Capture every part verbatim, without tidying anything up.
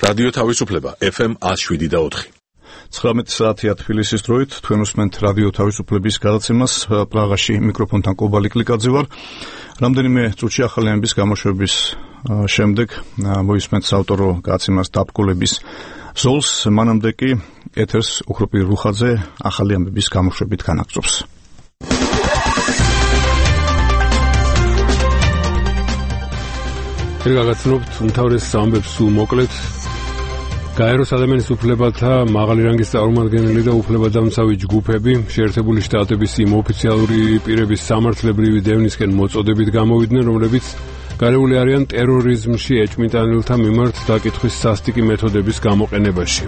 რადიო თავისუფლება ეფ ემ one oh seven და four. ცხრამეტი საათია თბილისის დროით, თქვენ უსმენთ რადიო თავისუფლების გადაცემას, პრაღაში მიკროფონთან კობალი კლიკაძე ვარ. რამდენიმე წუთში ახალი ამბის გამოშვების შემდეგ მოისმენთ საავტორო გადაცემას დაბკოლების ზოლს, მანამდე კი ეთერს უხროპი რუხაძე ახალი ამბების გამოშვებით განაგრძობს. გაგაცნობთ უმთავრეს ამბებს სულ მოკლედ. გაეროს ადამიანის უფლებათა მაღალი რანგის წარმომადგენელი და უფლებადამცავი ჯგუფები შეერთებული შტატების იმ ოფიციალური პირების სამართლებრივი დევნისკენ მოწოდებით გამოვიდნენ, რომლებიც გარეული არიან ტერორიზმში ეჭვმიტანილთა მიმართ დაკითხვის სასტიკი მეთოდების გამოყენებაში.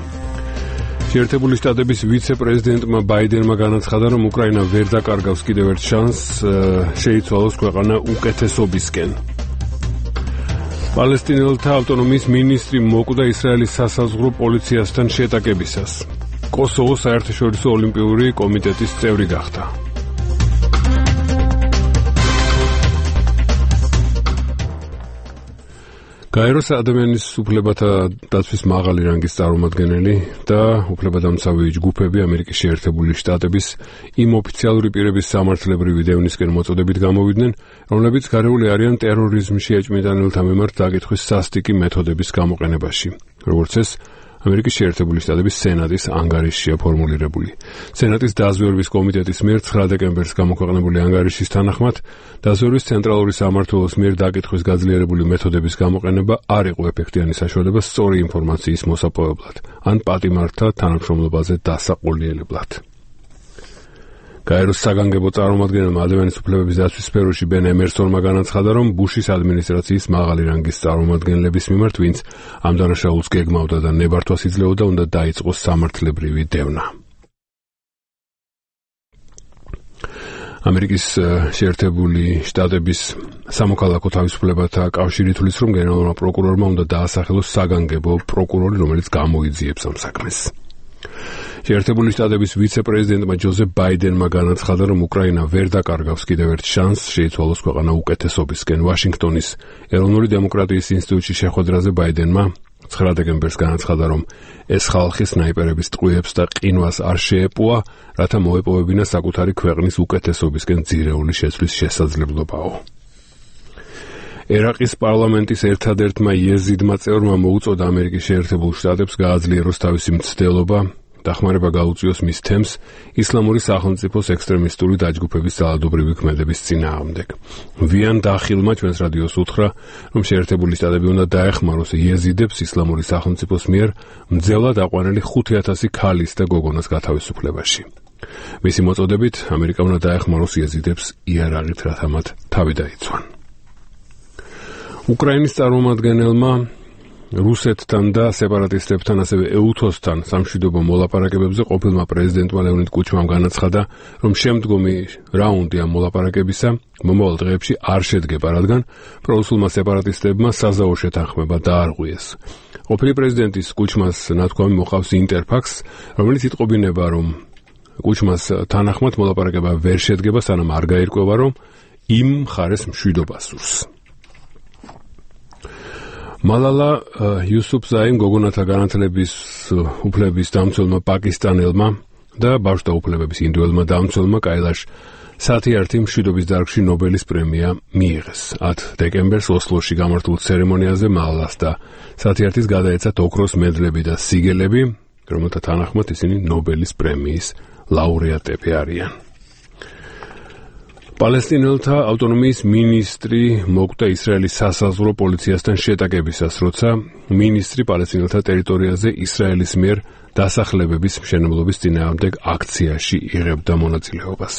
შეერთებული შტატების ვიცე-პრეზიდენტმა ბაიდენმა განაცხადა, რომ უკრაინა ვერ დაკარგავს კიდევ ერთ შანსს შეიცვალოს ქვეყანა უკეთესობისკენ. პალესტინელთა ავტონომიის მინისტრი მოკვდა ისრაელის სასაზღვრო პოლიციასთან შეტაკებისას. კოსოვოს საერთაშორისო ოლიმპიური კომიტეტის წევრი გახდა. გაეროს ადამიანის უფლებათა დაცვის მაღალი რანგის წარმომადგენელი და უფლებადამცავი ჯგუფები ამერიკის შეერთებული შტატების იმ ოფიციალური პირების სამართლებრივი დევნისკენ მოწოდებით გამოვიდნენ, რომლებიც გარეული არიან ტერორიზმში ეჭვმიტანილთა მიმართ დაკითხვის სასტიკი მეთოდების გამოყენებაში. როგორც ეს ამერიკის შეერთებული შტატების სენატის ანგარიშია ფორმულირებული. სენატის დაზვერვის კომიტეტის მიერ ცხრა დეკემბერს გამოქვეყნებული ანგარიშის თანახმად, დაზვერვის ცენტრალური სამმართველოს მიერ დაკითხვის გაძლიერებული მეთოდების გამოყენება არ იყო ეფექტიანი საშუალება სწორი ინფორმაციის მოსაპოვებლად ან პატიმართა თანამშრომლობაზე დასაყრდნილებლად. გაეროს საგანგებო წარმომადგენელმა ადამიანის უფლებების დაცვის სფეროში ბენ ემერსონმა განაცხადა, რომ ბუშის ადმინისტრაციის მაღალი რანგის წარმომადგენლების მიმართ, ვინც ამ დანაშაულს გეგმავდა და ნებართვას იძლეოდა, უნდა დაიწყოს სამართლებრივი დევნა. ამერიკის შეერთებული შტატების სამოქალაქო თავისუფლებათა კავშირი თვლის, რომ გენერალურმა პროკურორმა უნდა დაასახელოს საგანგებო პროკურორი, რომელიც გამოიძიებს ამ საქმეს. შეერთებული შტატების ვიცე-პრეზიდენტმა ჯოზეფ ბაიდენმა განაცხადა, რომ უკრაინა ვერ დაკარგავს კიდევ ერთ შანსს შეიცვალოს ქვეყანა უკეთესობისკენ. ვაშინგტონის ეროვნული დემოკრატიის ინსტიტუტში შეხვედრაზე ბაიდენმა ცხრა დეკემბერს განაცხადა, რომ ეს ხალხი სნაიპერების ტყვიებს და ყინვას არ შეეპოვა, რათა მოეპოვებინა საკუთარი ქვეყნის უკეთესობისკენ ძირეული შეცვლის შესაძლებლობაო. ერაყის პარლამენტის ერთადერთმა იეზიდმა წევრმა მოუწოდა ამერიკის შეერთებულ შტატებს გააძლიეროს თავისი მცდელობა, დახმარება გაუწიოს მის თემს ისლამური სახელმწიფოს ექსტრემისტული დაჯგუფების ძალადობრივი ქმედების წინააღმდეგ. ვიან დახილმა ჩვენს რადიოს უთხრა, რომ შეერთებული შტატები უნდა დაეხმაროს იეზიდებს ისლამური სახელმწიფოს მიერ მძევლად აყვანილი ხუთი ათასი ქალის და გოგონას გათავისუფლებაში. მისი მოწოდებით, ამერიკა უნდა დაეხმაროს იეზიდებს იარაღით, რათა მათ თავი დაიცვან. უკრაინის წარმომადგენელმა რუსეთთან და სეპარატისტებთან, ასევე ეუთოსთან სამშვიდობო მოლაპარაკებებზე ყოფილმა პრეზიდენტმა ლეონიდ კუჩმამ განაცხადა, რომ შემდგომი რაუნდი ამ მოლაპარაკებისა მომავალ დღეებში არ შედგება, რადგან პრორუსულმა სეპარატისტებმა საზავო შეთანხმება დაარღვიეს. ყოფილი პრეზიდენტის კუჩმას ნათქვამი მოყავს ინტერფაქს, რომელიც იტყობინება, რომ კუჩმას თანახმად მოლაპარაკება ვერ შედგება, სანამ არ გაირკვევა, რომ იმ მხარეს მშვიდობა სურს. მალალა იუსუფზაიმ გოგონათა განათლების უფლების დამცველმა პაკისტანელმა და ბავშვთა უფლებების ინდოელმა დამცველმა კაილაშ სათიართი მშვიდობის დარგში ნობელის პრემია მიიღეს. ათ დეკემბერს ოსლოში გამართულ ცერემონიაზე მალალას და სათიართის გადაეცათ ოქროს მედლები და სიგელები, რომელთა თანახმად ისინი ნობელის პრემიის ლაურეატები არიან. პალესტინელთა ავტონომიის მინისტრი მოკვდა ისრაელის სასაზღვრო პოლიციასთან შეტაკებისას, როცა მინისტრი პალესტინელთა ტერიტორიაზე ისრაელის მიერ დასახლებების მშენებლობის წინააღმდეგ აქციაში იღებდა მონაწილეობას.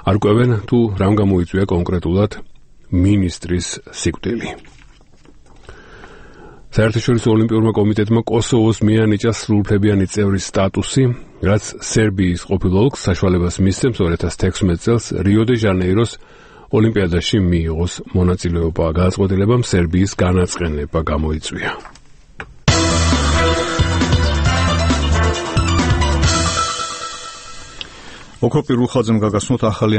არ კვებენ თუ რამ გამოიწვია კონკრეტულად მინისტრის სიკვდილი. საერთაშორისო ოლიმპიურმა კომიტეტმა კოსოვოს მიანიჭა სრულუფლებიანი წევრის სტატუსი, რაც სერბიის ყოფილ ოლქს საშუალებას მისცემს ორი ათას თექვსმეტ წელს რიო-დე-ჟანეიროს ოლიმპიადაში მიიღოს მონაწილეობა. გადაწყვეტილებამ სერბიის განაწყენება გამოიწვია. ოქროპი რუხაძემ გაგაცნოთ ახალი